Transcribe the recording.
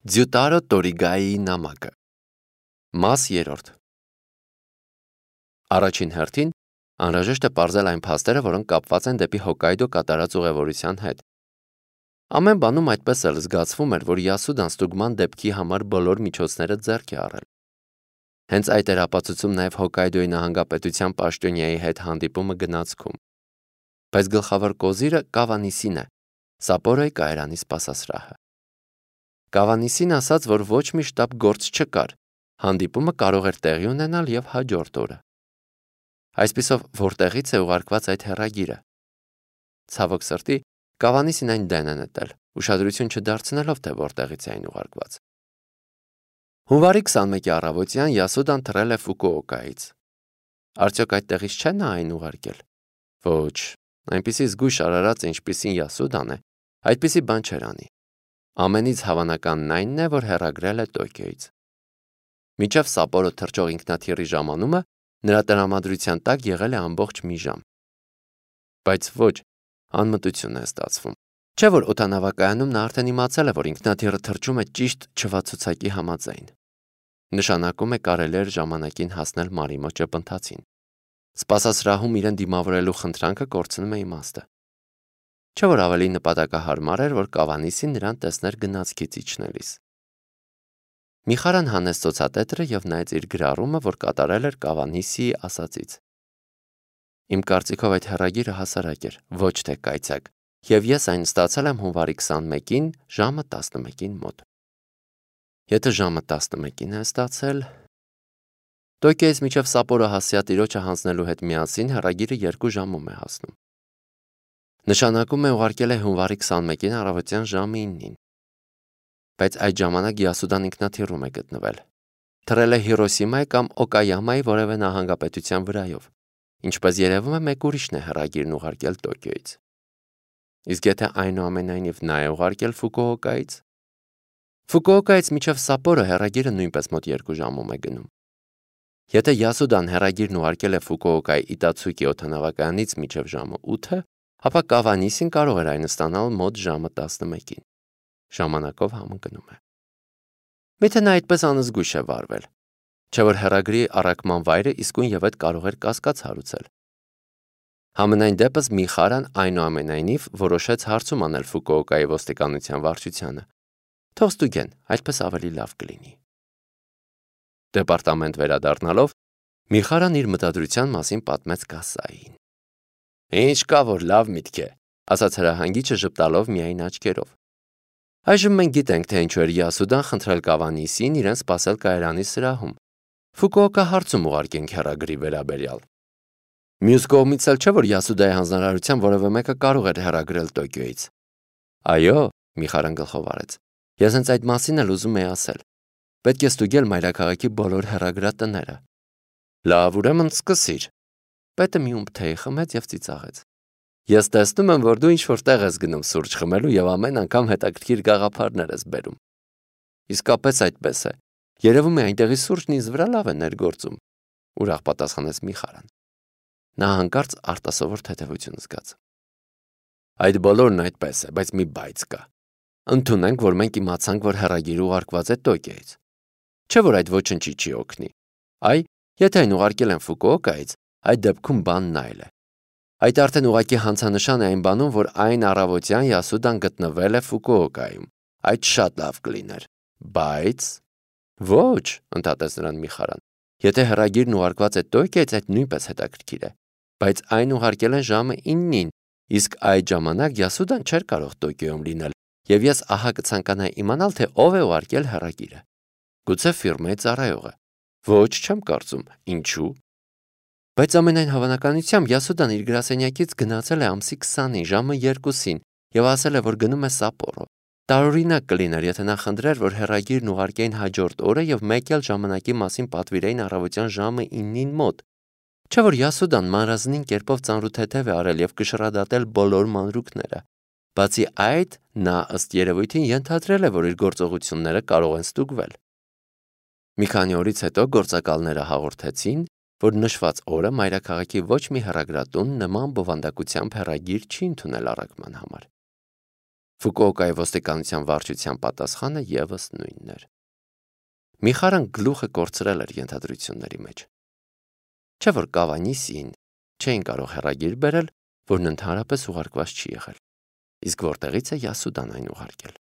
Ձյուտարո Տորիգայի նամակը Մաս 3 Առաջին հերթին անհրաժեշտ է պարզել այն փաստերը, որոնք կապված են դեպի Հոկկայդո կատարած ուղևորության հետ։ Ամեն բանում այդպես էլ զգացվում էր, որ Յասուդան ստուգման դեպքի համար բոլոր միջոցները ձեռք է առել։ Հենց այդ էր ապացուցում նաև Հոկկայդոյի նահանգապետության պաշտոնյայի հետ հանդիպումը գնացքում։ Բայց գլխավոր կոզիրը Կավանիսին է, Սապորոյի կայարանի սպասասրահը։ Կավանիսին ասաց, որ ոչ մի շտապ գործ չկար, հանդիպումը կարող էր տեղի ունենալ և հաջորդ օրը։ Այսպիսով, որտեղից է ուղարկված այդ հեռագիրը։ Ցավոք սրտի, Կավանիսին այն դեն է նետել, ուշադրություն չդարձնելով, թե որտեղից է այն ուղարկված։ Հունվարի 21-ի առավոտյան Յասուդան թռել է Ֆուկուոկայից։ Արդյոք այդտեղից չէ նա այն ուղարկել։ Ոչ, այնպիսի զգույշ արարած, ինչպիսին Յասուդան է, այդպիսի բան չէր անի։ Ամենից հավանականն այնն է, որ հեռագրել է Տոկիոյից։ Մինչև Սապորո թռչող ինքնաթիռի ժամանումը նրա տրամադրության տակ եղել է ամբողջ մի ժամ։ Բայց ոչ, անմտություն է ստացվում։ Չէ՞ որ օդանավակայանում նա արդեն իմացել է, որ ինքնաթիռը թռչում է ճիշտ չվացուցակի համաձայն։ Նշանակում է կարելի էր ժամանակին հասնել Մարիմո ճպընթացին։ Սպասասրահում իրեն դիմավորելու խնդրանքը կորցնում է իմաստը։ Չէ՞ որ ավելի նպատակահարմար էր, որ Կավանիսին նրան տեսներ գնացքից իջնելիս։ Միխարան հանեց ծոցատետրը և նայեց իր գրառումը, որ կատարել էր Կավանիսիի ասածից։ Իմ կարծիքով այդ հեռագիրը հասարակ էր, ոչ թե կայծակ, և ես այն ստացել եմ հունվարի 21-ին ժամը 11-ին մոտ։ Եթե ժամը 11-ին է ստացել… Տոկիոյից մինչև Սապորո հասցեատիրոջը հանձնելու հետ միասին հեռագիրը 2 ժամում է հասնում։ Նշանակում է ուղարկել է հունվարի 21-ին առավոտյան ժամը 9-ին։ Բայց այդ ժամանակ Յասուդան ինքնաթիռում է գտնվել։ Թռել է Հիրոսիմայի կամ Օկայամայի որևէ նահանգապետության վրայով, ինչպես երևում է մեկ ուրիշն է հեռագիրն ուղարկել Տոկիոյից։ Իսկ եթե այնուամենայնիվ նա է ուղարկել Ֆուկուոկայից… Ֆուկուոկայից մինչև Սապորո հեռագիրը նույնպես մոտ 2 ժամում է գնում։ Եթե Յասուդան հեռագիրն ուղարկել է Ֆուկուոկայի Իտացուկի օդանավակայանից մինչև ժամը 8-ը, ապա Կավանիսին կարող էր այն ստանալ մոտ ժամը 11-ին։ Ժամանակով համընկնում է։ Միթե նա այդպես անզգույշ է վարվել։ Չէ՞ որ հեռագրի առաքման վայրը իսկույն և այդ կարող էր կասկած հարուցել։ Համենայն դեպս Միխարան այնուամենայնիվ որոշեց հարցում անել Ֆուկուոկայի ոստիկանության վարչությանը։ Թող ստուգեն, այդպես ավելի լավ կլինի։ Դեպարտամենտ վերադառնալով, Միխարան իր մտադրության մասին պատմեց կասային։ Ինչ կա, որ լավ միտք է, ասաց հրահանգիչը ժպտալով միայն աչքերով։ Այժմ մենք գիտենք, թե ինչու էր Յասուդան խնդրել Կավանիսին իրեն սպասել կայարանի սրահում։ Ֆուկուոկա հարցում ուղարկենք հեռագրի վերաբերյալ։ Մյուս կողմից էլ չէ, որ Յասուդայի հանձնարարությամբ որևէ մեկը կարող էր հեռագրել Տոկիոյից։ Այո, Միխարան գլխով արեց։ Ես հենց այդ մասին էլ ուզում էի ասել։ Պետք է ստուգել մայրաքաղաքի բոլոր հեռագրատները։ Լավ, ուրեմն սկսիր։ Պետը մի ումպ թեյ խմեց և ծիծաղեց։ Ես տեսնում եմ, որ դու ինչ-որ տեղ ես գնում սուրճ խմելու և ամեն անգամ հետաքրքիր գաղափարներ ես բերում։ Իսկապես այդպես է։ Երևում է այնտեղի սուրճն ինձ վրա լավ է ներգործում, ուրախ պատասխանեց Միխարան։ Նա հանկարծ արտասովոր թեթևություն զգաց։ Այդ բոլորն այդպես է, բայց մի բայց կա։ Ընդունենք, որ մենք իմացանք, որ հեռագիրը ուղարկված է Տոկիոյից։ Չէ՞ որ այդ ոչնչի չի օգնի։ Այ, եթե այն ուղարկել են Ֆուկուոկայից, այդ դեպքում բանն այլ է։ Այդ արդեն ուղղակի հանցանշան է այն բանում, որ այն առավոտյան Յասուդան գտնվել է Ֆուկուոկայում։ Այդ շատ լավ կլիներ։ Բայց… Ոչ, ընդհատեց նրան Միխարան։ Եթե հեռագիրն ուղարկված է Տոկիոյից, այդ նույնպես հետաքրքիր է։ Բայց այն ուղարկել են ժամը 9-ին, իսկ այդ ժամանակ Յասուդան չէր կարող Տոկիոյում լինել, և ես ահա կցանկանայի իմանալ, թե ով է ուղարկել հեռագիրը։ Գուցե ֆիրմայի ծառայողը։ Ոչ, չեմ կարծում։ Ինչու՞։ Բայց ամենայն հավանականությամբ Յասուդան իր գրասենյակից գնացել է ամսի 20-ին ժամը 2-ին և ասել է, որ գնում է Սապորո։ Տարօրինակ կլիներ, եթե նա խնդրեր, որ հեռագիրն ուղարկեին հաջորդ օրը և մեկ էլ ժամանակի մասին պատվիրեին առավոտյան ժամը 9-ին մոտ։ Չէ՞ որ Յասուդան մանրազնին կերպով ծանրութեթև է արել և կշռադատել բոլոր մանրուքները։ Բացի այդ, նա ըստ երևույթին ենթադրել է, որ իր գործողությունները կարող են ստուգվել։ Մի քանի օրից հետո գործակալները հաղորդեցին, որ նշված օրը մայրաքաղաքի ոչ մի հեռագրատուն նման բովանդակությամբ հեռագիր չի ընդունել առաքման համար։ Ֆուկուոկայի ոստիկանության վարչության պատասխանը ևս նույնն էր։ Միխարան գլուխը կորցրել էր ենթադրությունների մեջ։ Չէ՞ որ Կավանիսին չէին կարող հեռագիր բերել, որն ընդհանրապես ուղարկված չի եղել։ Իսկ որտեղից է Յասուդան այն ուղարկել։